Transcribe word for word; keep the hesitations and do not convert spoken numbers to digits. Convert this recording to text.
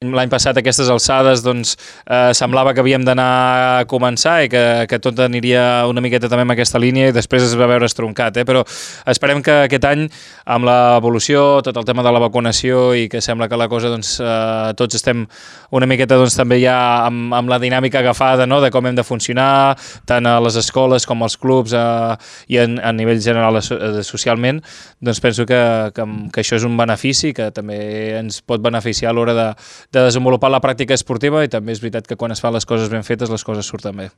L'any passat, a aquestes alçades, doncs, eh, semblava que havíem d'anar a començar i que, que tot aniria una miqueta també en aquesta línia i després es va veure estroncat, eh? Però esperem que aquest any, amb l'evolució, tot el tema de la vacunació i que sembla que la cosa, doncs, eh, tots estem una miqueta, doncs, també ja amb, amb la dinàmica agafada, no?, de com hem de funcionar, tant a les escoles com als clubs eh, i en, a nivell general eh, socialment, doncs penso que, que, que això és un benefici que també ens pot beneficiar a l'hora de de desenvolupar la pràctica esportiva i també és veritat que quan es fan les coses ben fetes les coses surten bé.